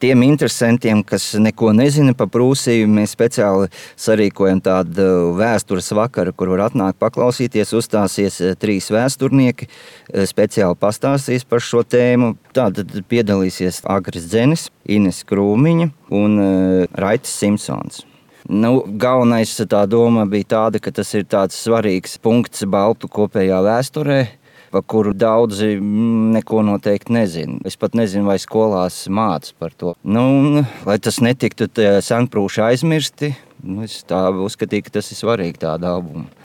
Tiem interesantiem, kas neko nezina par Prūsiju, mēs speciāli sarīkojam tādu vēstures vakaru, kur var atnākt paklausīties. Uzstāsies 3 vēsturnieki, speciāli pastāstīs par šo tēmu. Tātad piedalīsies Agris Dzenis, Ines Krūmiņa un Raitis Simpsons. Galvenais tā doma bija tāda, ka tas ir tāds svarīgs punkts baltu kopējā vēsturē, par kuru daudzi neko noteikti nezina. Es pat nezinu, vai skolās māca par to. Lai tas netiktu senprūši aizmirsti, es tā uzskatīju, ka tas ir svarīgi tāda albuma.